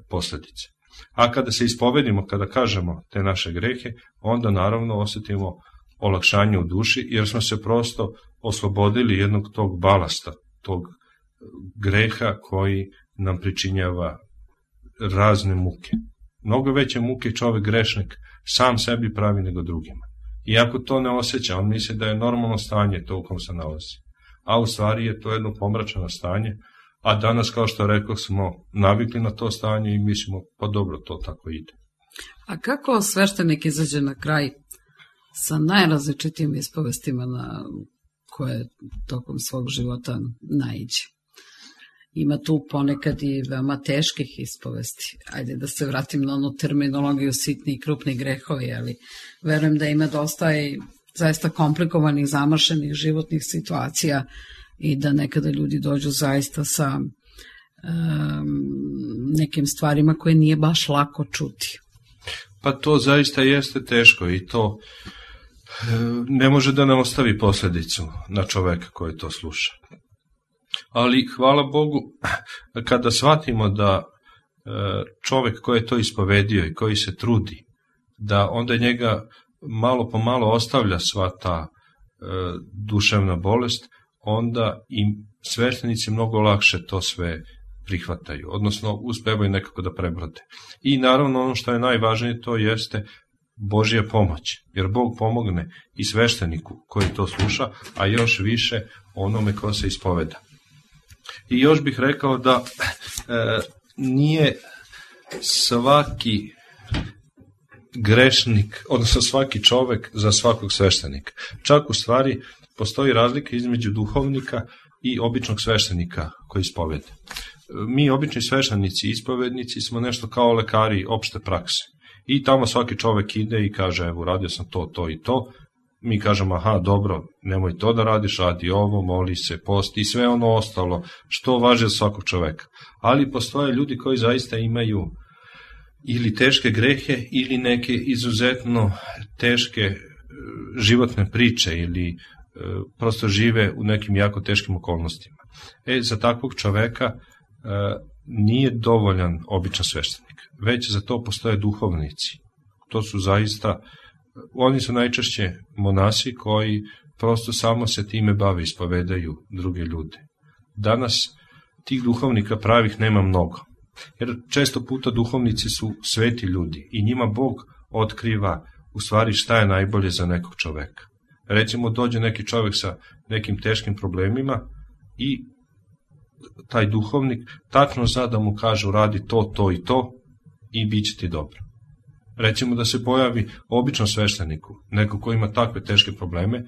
posledice. A kada se ispovedimo, kada kažemo te naše grehe, onda naravno osetimo olakšanje u duši, jer smo se prosto oslobodili jednog tog balasta, tog greha koji nam pričinjava razne muke. Mnogo veće muke čovek grešnik sam sebi pravi nego drugima. Iako to ne osjeća, on misli da je normalno stanje to u kom se nalazi. A u stvari je to jedno pomračeno stanje, a danas, kao što rekao, smo navikli na to stanje i mislimo, pa dobro, to tako ide. A kako sveštenik izađe na kraj sa najrazličitijim ispovestima na koje tokom svog života naiđe? Ima tu ponekad i veoma teških ispovesti. Ajde da se vratim na onu terminologiju sitni i krupni grehovi, ali verujem da ima dosta i zaista komplikovanih, zamršenih životnih situacija i da nekada ljudi dođu zaista sa um, nekim stvarima koje nije baš lako čuti. Pa to zaista jeste teško i to ne može da nam ostavi posledicu na čoveka koji to sluša. Ali hvala Bogu, kada shvatimo da čovek koji je to ispovedio i koji se trudi, da onda njega malo po malo ostavlja sva ta duševna bolest, onda i sveštenici mnogo lakše to sve prihvataju, odnosno uspevaju nekako da prebrode. I naravno ono što je najvažnije, to jeste Božja pomoć, jer Bog pomogne i svešteniku koji to sluša, a još više onome ko se ispoveda. I još bih rekao da e, nije svaki grešnik, odnosno svaki čovek za svakog sveštenika. Čak u stvari postoji razlika između duhovnika i običnog sveštenika koji ispoveda. Mi, obični sveštenici, ispovednici, smo nešto kao lekari opšte prakse. I tamo svaki čovek ide i kaže, evo, radio sam to, to i to. Mi kažemo, aha, dobro, nemoj to da radiš, radi ovo, moli se, posti i sve ono ostalo, što važi za svakog čoveka. Ali postoje ljudi koji zaista imaju ili teške grehe, ili neke izuzetno teške životne priče, ili prosto žive u nekim jako teškim okolnostima. E, za takvog čoveka nije dovoljan običan sveštenik, već za to postoje duhovnici. To su zaista, oni su najčešće monasi koji prosto samo se time bave, ispovedaju druge ljude. Danas tih duhovnika pravih nema mnogo, jer često puta duhovnici su sveti ljudi i njima Bog otkriva u stvari šta je najbolje za nekog čoveka. Recimo, dođe neki čovek sa nekim teškim problemima i taj duhovnik tačno zna da mu kaže, uradi to, to i to i bit će ti dobro. Recimo da se pojavi običnom svešteniku, neko ko ima takve teške probleme,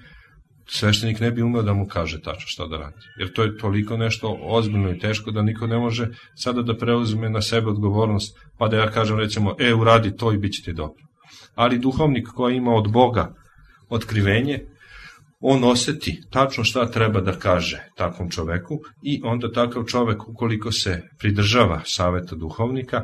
sveštenik ne bi umeo da mu kaže tačno šta da radi. Jer to je toliko nešto ozbiljno i teško da niko ne može sada da preuzme na sebe odgovornost, pa da ja kažem recimo, e, uradi to i bit će ti dobro. Ali duhovnik koji ima od Boga otkrivenje, on oseti tačno šta treba da kaže takvom čoveku i onda takav čovek, ukoliko se pridržava saveta duhovnika,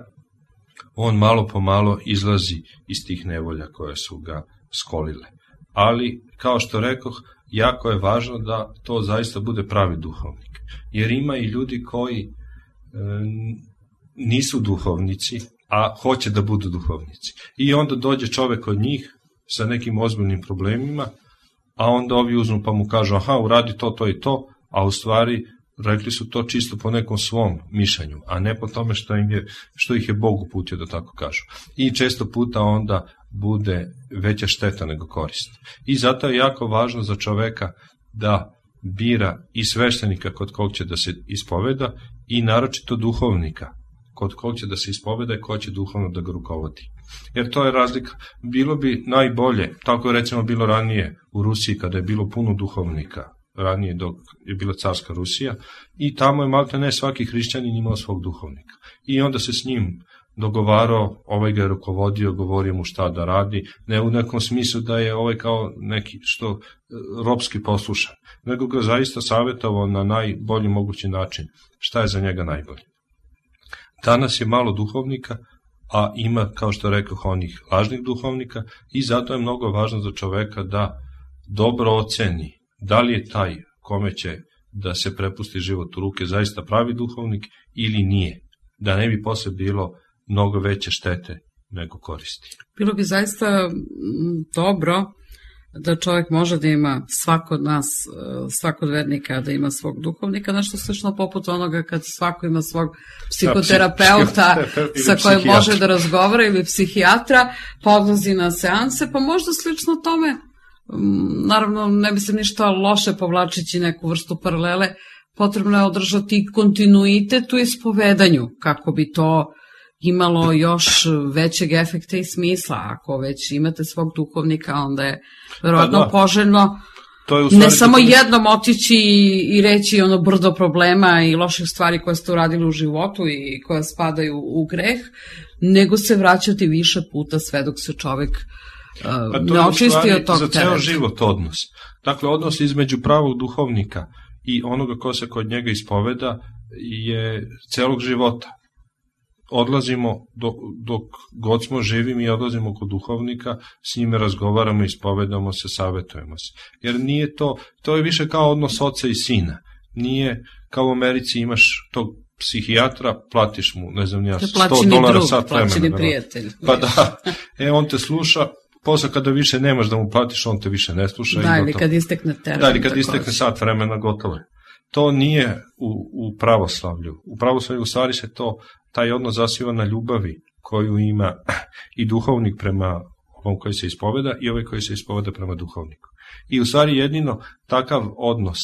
on malo po malo izlazi iz tih nevolja koje su ga skolile. Ali, kao što rekoh, jako je važno da to zaista bude pravi duhovnik. Jer ima i ljudi koji e, nisu duhovnici, a hoće da budu duhovnici. I onda dođe čovek od njih sa nekim ozbiljnim problemima, a onda ovi uzmu pa mu kažu aha, uradi to, to i to, a u stvari rekli su to čisto po nekom svom mišljenju, a ne po tome što, im je, što ih je Bog uputio, da tako kažu. I često puta onda bude veća šteta nego korist. I zato je jako važno za čoveka da bira i sveštenika kod kog će da se ispoveda i naročito duhovnika kod kog će da se ispoveda i ko će duhovno da ga rukovodi. Jer to je razlika. Bilo bi najbolje, tako je recimo bilo ranije u Rusiji kada je bilo puno duhovnika, ranije dok je bila carska Rusija, i tamo je maltene ne svaki hrišćanin imao svog duhovnika. I onda se s njim dogovarao, ovaj ga je rukovodio, govorio mu šta da radi, ne u nekom smislu da je ovaj kao neki što ropski poslušan, nego ga zaista savjetovao na najbolji mogući način, šta je za njega najbolje. Danas je malo duhovnika, a ima, kao što rekoh, onih lažnih duhovnika, i zato je mnogo važno za čoveka da dobro oceni da li je taj kome će da se prepusti život u ruke zaista pravi duhovnik ili nije, da ne bi posle bilo mnogo veće štete nego koristi. Bilo bi zaista dobro da čovjek može da ima, svako od nas, svako od vernika da ima svog duhovnika, nešto slično poput onoga kad svako ima svog psihoterapeuta sa kojim može da razgovara ili psihijatra, pa odlazi na seanse, pa možda slično tome. Naravno, ne bi se ništa loše povlačeći neku vrstu paralele, potrebno je održati kontinuitet u ispovedanju, kako bi to imalo još većeg efekta i smisla. Ako već imate svog duhovnika, onda je verovatno pa, poželjno je ne samo jednom otići i reći ono brdo problema i loših stvari koje ste uradili u životu i koje spadaju u greh, nego se vraćati više puta sve dok se čovek uh, ne očisti od tog tereta. Za ceo život odnos. Dakle, odnos između pravog duhovnika i onoga ko se kod njega ispoveda je celog života. Odlazimo, dok, dok god smo živi, mi odlazimo kod duhovnika, s njime razgovaramo, ispovedamo se, savjetujemo se. Jer nije to, to je više kao odnos oca i sina. Nije kao u Americi imaš tog psihijatra, platiš mu, ne znam ja, sto dolara sat vremena. Plaćeni prijatelj. Pa da, e, on te sluša, posle kada više nemaš da mu platiš, on te više ne sluša. Da, ili kad istekne teren. Da, ili kad istekne sat vremena, gotovo je. To nije u, u pravoslavlju. U pravoslavlju u stvari se to, taj odnos zasniva na ljubavi koju ima i duhovnik prema ovom koji se ispoveda i ovaj koji se ispoveda prema duhovniku. I u stvari jedino takav odnos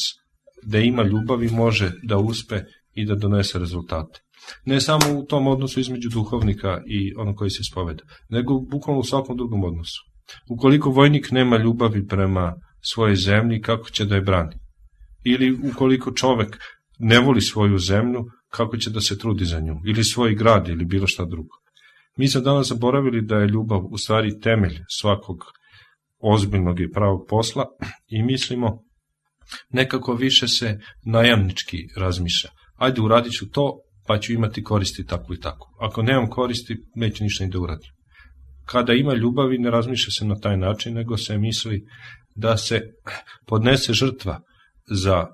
da ima ljubavi može da uspe i da donese rezultate. Ne samo u tom odnosu između duhovnika i onog koji se ispoveda, nego bukvalno u svakom drugom odnosu. Ukoliko vojnik nema ljubavi prema svojoj zemlji, kako će da je brani? Ili ukoliko čovek ne voli svoju zemlju, kako će da se trudi za nju, ili svoj grad, ili bilo šta drugo. Mi smo danas zaboravili da je ljubav u stvari temelj svakog ozbiljnog i pravog posla i mislimo nekako više se najamnički razmišlja. Ajde, uradit ću to, pa ću imati koristi tako i tako. Ako nemam koristi, neću ništa ni da uradim. Kada ima ljubavi, ne razmišlja se na taj način, nego se misli da se podnese žrtva za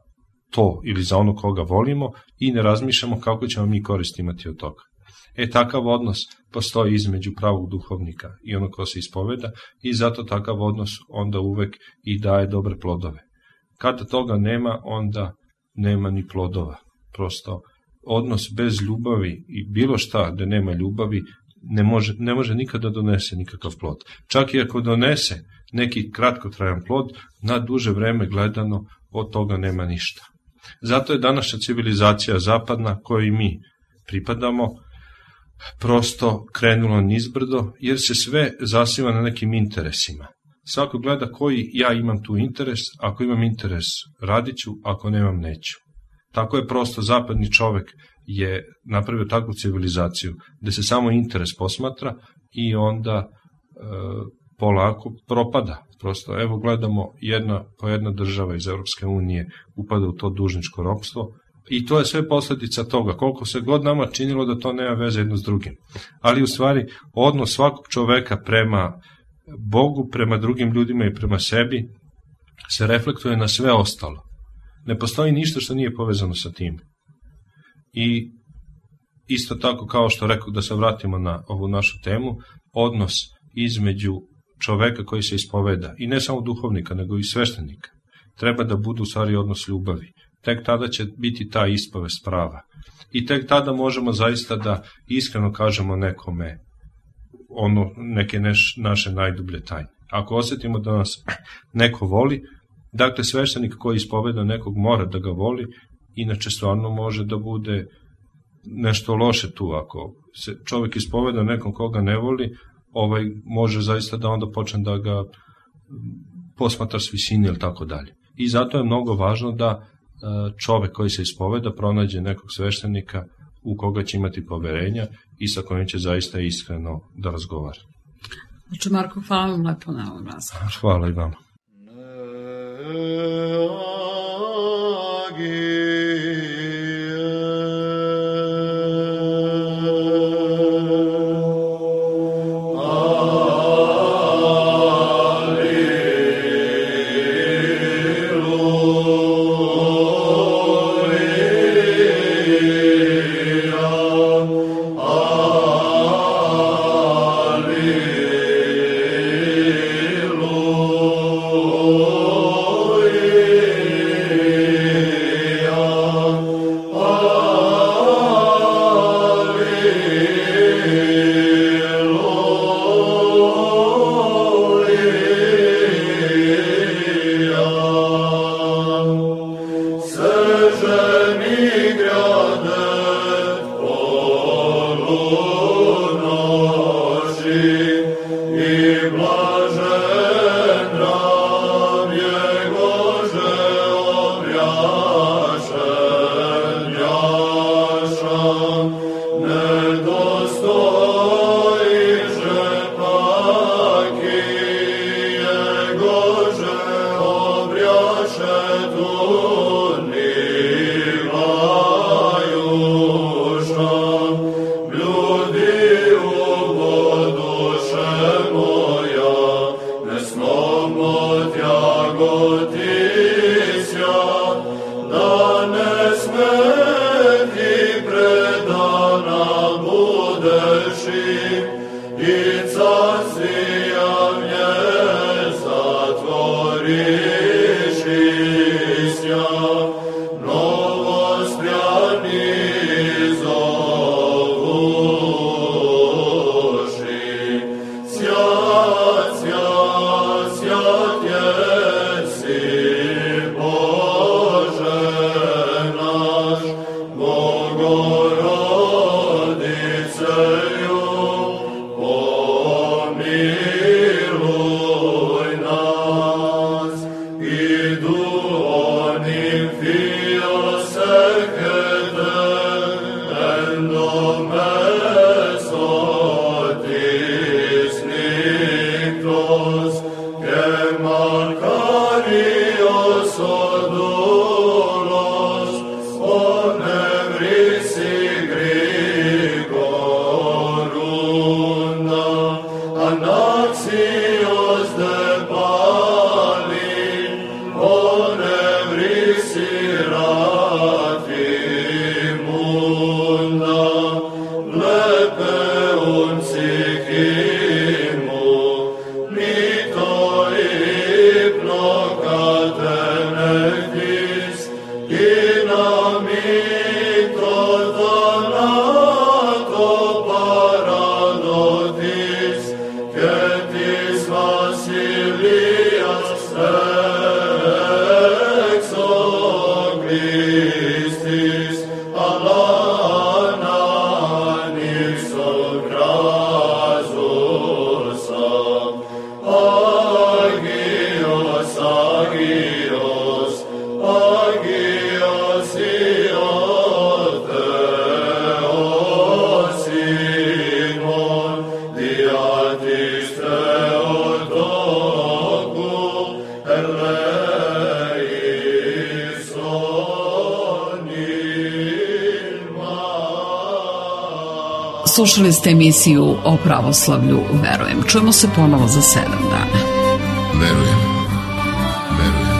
to ili za ono koga volimo i ne razmišljamo kako ćemo mi koristi imati od toga. E, takav odnos postoji između pravog duhovnika i ono ko se ispoveda i zato takav odnos onda uvek i daje dobre plodove. Kada toga nema, onda nema ni plodova. Prosto odnos bez ljubavi i bilo šta da nema ljubavi ne može, ne može nikada donese nikakav plod. Čak i ako donese neki kratkotrajan plod, na duže vreme gledano od toga nema ništa. Zato je današnja civilizacija zapadna kojoj mi pripadamo prosto krenula nizbrdo, jer se sve zasniva na nekim interesima. Svako gleda koji ja imam tu interes, ako imam interes radit ću, ako nemam neću. Tako je prosto zapadni čovek je napravio takvu civilizaciju gde se samo interes posmatra i onda e, polako propada. Prosto, evo gledamo jedna po jedna država iz Evropske unije upada u to dužničko ropstvo i to je sve posledica toga, koliko se god nama činilo da to nema veze jedno s drugim. Ali u stvari odnos svakog čoveka prema Bogu, prema drugim ljudima i prema sebi se reflektuje na sve ostalo. Ne postoji ništa što nije povezano sa tim. I isto tako, kao što rekao, da se vratimo na ovu našu temu, odnos između čoveka koji se ispoveda, i ne samo duhovnika, nego i sveštenika, treba da budu u stvari odnos ljubavi. Tek tada će biti ta ispovest prava. I tek tada možemo zaista da iskreno kažemo nekome ono, neke neš, naše najdublje tajne. Ako osjetimo da nas neko voli, dakle sveštenik koji ispoveda nekog mora da ga voli, inače stvarno može da bude nešto loše tu. Ako se čovjek ispoveda nekom koga ne voli, ovaj može zaista da onda počne da ga posmatra s visine ili tako dalje. I zato je mnogo važno da čovjek koji se ispoveda pronađe nekog sveštenika u koga će imati poverenja i sa kojim će zaista iskreno da razgovara. Znači, Marko, hvala vam lepo na ovom razgovoru. Hvala i vama. Slušali ste emisiju o pravoslavlju Verujem. Čujemo se ponovo za sedam dana. Verujem. Verujem.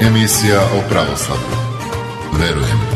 Emisija o pravoslavlju. Verujem.